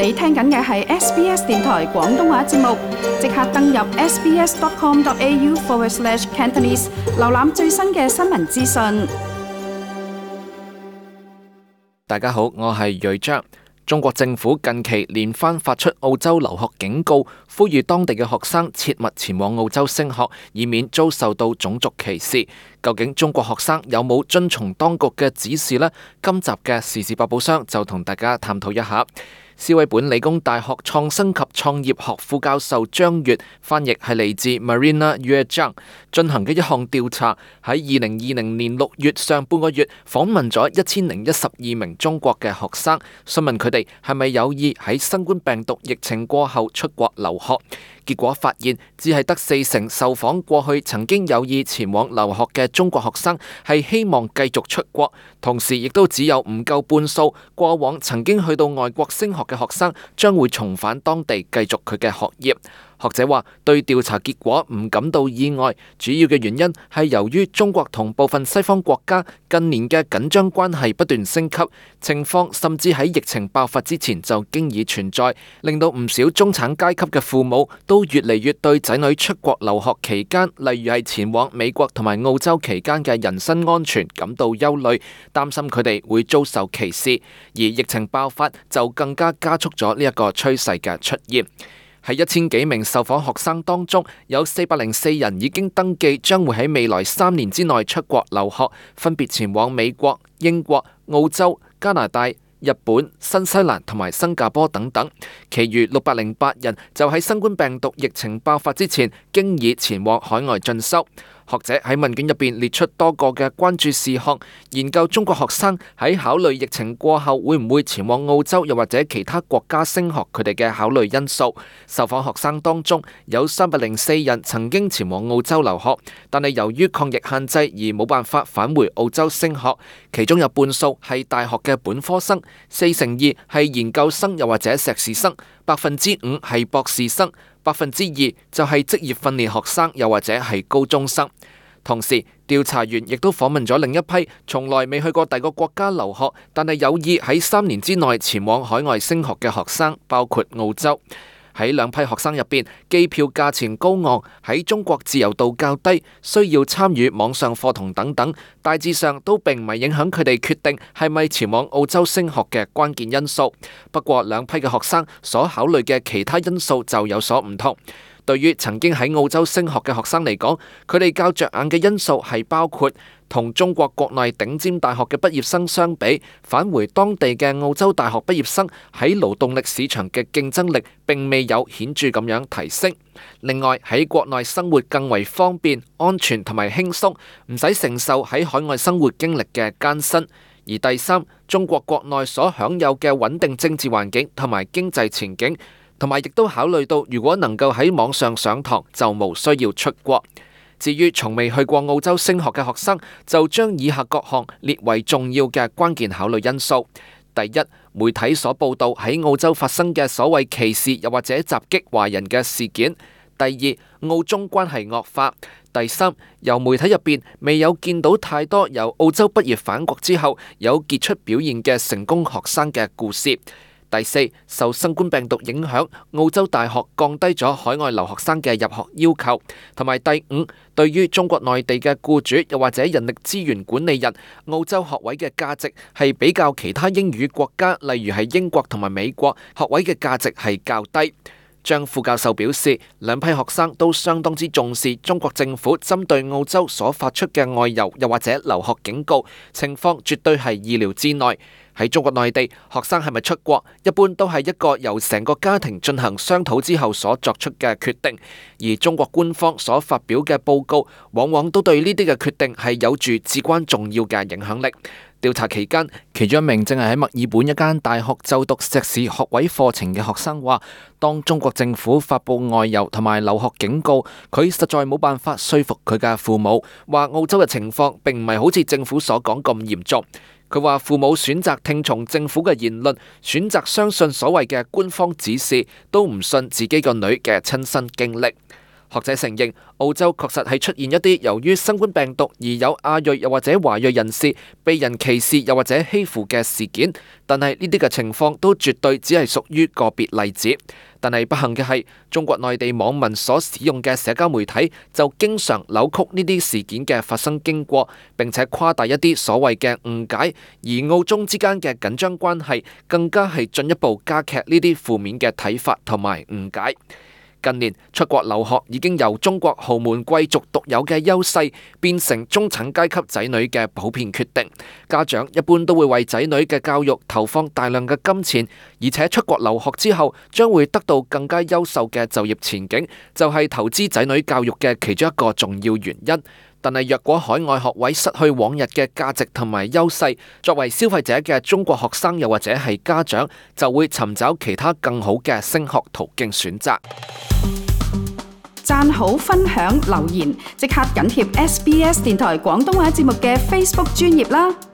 你聽緊嘅係 SBS 電台廣東話節目，即刻登入 sbs.com.au/cantonese 瀏覽最新嘅新聞資訊。大家好，我係瑞章。中國政府近期連番發出澳洲留學警告，呼籲當地嘅學生切勿前往澳洲升學，以免遭受到種族歧視。究竟中國學生有冇遵從當局嘅指示呢？今集嘅時事百寶箱就同大家探討一下。斯威本理工大學創新及創業學副教授張月，翻譯係嚟自 Marina Yue Zhang 進行嘅一項調查，喺2020年6月上半個月訪問咗1012名中國嘅學生，詢問佢哋係咪有意喺新冠病毒疫情過後出國留學。結果發現，只係得40%受訪過去曾經有意前往留學嘅中國學生係希望繼續出國，同時亦都只有唔夠半數過往曾經去到外國升學嘅學生將會重返當地繼續佢嘅學業。學者話對調查結果唔感到意外，主要嘅原因係由於中國同部分西方國家近年嘅緊張關係不斷升級，情況甚至喺疫情爆發之前就經已存在，令到唔少中產階級嘅父母都越嚟越對仔女出國留學期間，例如係前往美國同埋澳洲期間嘅人身安全感到憂慮，擔心佢哋會遭受歧視，而疫情爆發就更加加速咗呢一個趨勢嘅出現。喺1000幾名受訪學生當中，有404人已經登記將會喺未來3年之內出國留學，分別前往美國、英國、澳洲、加拿大、日本、新西蘭同埋新加坡等等。其餘608人就喺新冠病毒疫情爆發之前經已前往海外進修。學者喺問卷入邊列出多個嘅關注事項，研究中國學生喺考慮疫情過後會唔會前往澳洲又或者其他國家升學，佢哋嘅考慮因素。受訪學生當中有304人曾經前往澳洲留學，但係由於抗疫限制而冇辦法返回澳洲升學，其中有半數係大學嘅本科生，42%係研究生又或者碩士生，5%係博士生，2%就係職業訓練學生又或者係高中生。同時，調查員亦都訪問咗另一批從來未去過第個國家留學，但係有意喺3年之內前往海外升學嘅學生，包括澳洲。喺兩批學生入邊，機票價錢高昂，喺中國自由度較低，需要參與網上課堂等等，大致上都並唔係影響佢哋決定係咪前往澳洲升學嘅關鍵因素。不過兩批嘅學生所考慮嘅其他因素就有所唔同。對於曾經喺澳洲升學嘅學生嚟講，佢哋較着眼嘅因素係包括同中國國內頂尖大學嘅畢業生相比，返回當地嘅澳洲大學畢業生喺勞動力市場嘅競爭力並未有顯著咁樣提升。另外喺國內生活更為方便、安全同埋輕鬆，唔使承受喺海外生活經歷嘅艱辛。而第三，中國國內所享有嘅穩定政治環境同埋經濟前景，同埋亦都考慮到如果能夠喺網上上堂，就無需要出國。至於從未去過澳洲升學嘅學生，就將以下各項列為重要嘅關鍵考慮因素。第一，媒體所報道喺澳洲發生嘅所謂歧視又或者襲擊華人嘅事件。第二，澳中關係惡化。第三，由媒體入邊未有見到太多由澳洲畢業返國之後有傑出表現嘅成功學生嘅故事。第四，受新冠病毒影響，澳洲大學降低咗海外留學生嘅入學要求。同埋第五，對於中國內地嘅僱主又或者人力資源管理人，澳洲學位嘅價值係比較其他英語國家，例如係英國同埋美國，學位嘅價值係較低。張副教授表示，兩批學生都相當之重視中國政府針對澳洲所發出嘅外遊又或者留學警告，情況絕對係意料之內。喺中國內地，學生係咪出國，一般都係一個由成個家庭進行商討之後所作出嘅決定，而中國官方所發表嘅報告，往往都對呢啲嘅決定係有住至關重要嘅影響力。調查期間，其中一名正係喺墨爾本一間大學就讀碩士學位課程嘅學生話，當中國政府發布外遊同埋留學警告，佢實在冇辦法說服佢嘅父母，話澳洲嘅情況並唔係好似政府所講咁嚴重。佢話父母選擇聽從政府嘅言論，選擇相信所謂嘅官方指示，都唔信自己個女嘅親身經歷。學者承認，澳洲確實係出現一啲由於新冠病毒而有亞裔又或者華裔人士被人歧視又或者欺負嘅事件，但係呢啲嘅情況都絕對只係屬於個別例子。但係不幸嘅係，中國內地網民所使用嘅社交媒體就經常扭曲呢啲事件嘅發生經過，並且誇大一啲所謂嘅誤解，而澳中之間嘅緊張關係更加係進一步加劇呢啲負面嘅睇法同埋誤解。近年出國留學已經由中國豪門貴族獨有嘅優勢，變成中產階級仔女嘅普遍決定。家長一般都會為仔女嘅教育投放大量嘅金錢，而且出國留學之後將會得到更加優秀嘅就業前景，就係投資仔女教育嘅其中一個重要原因。但係若果海外學位失去往日嘅價值同埋優勢，作為消費者嘅中國學生又或者係家長，就會尋找其他更好嘅升學途徑選擇。讚好、分享、留言，即刻緊貼SBS 電台廣東話節目嘅 Facebook 專頁啦！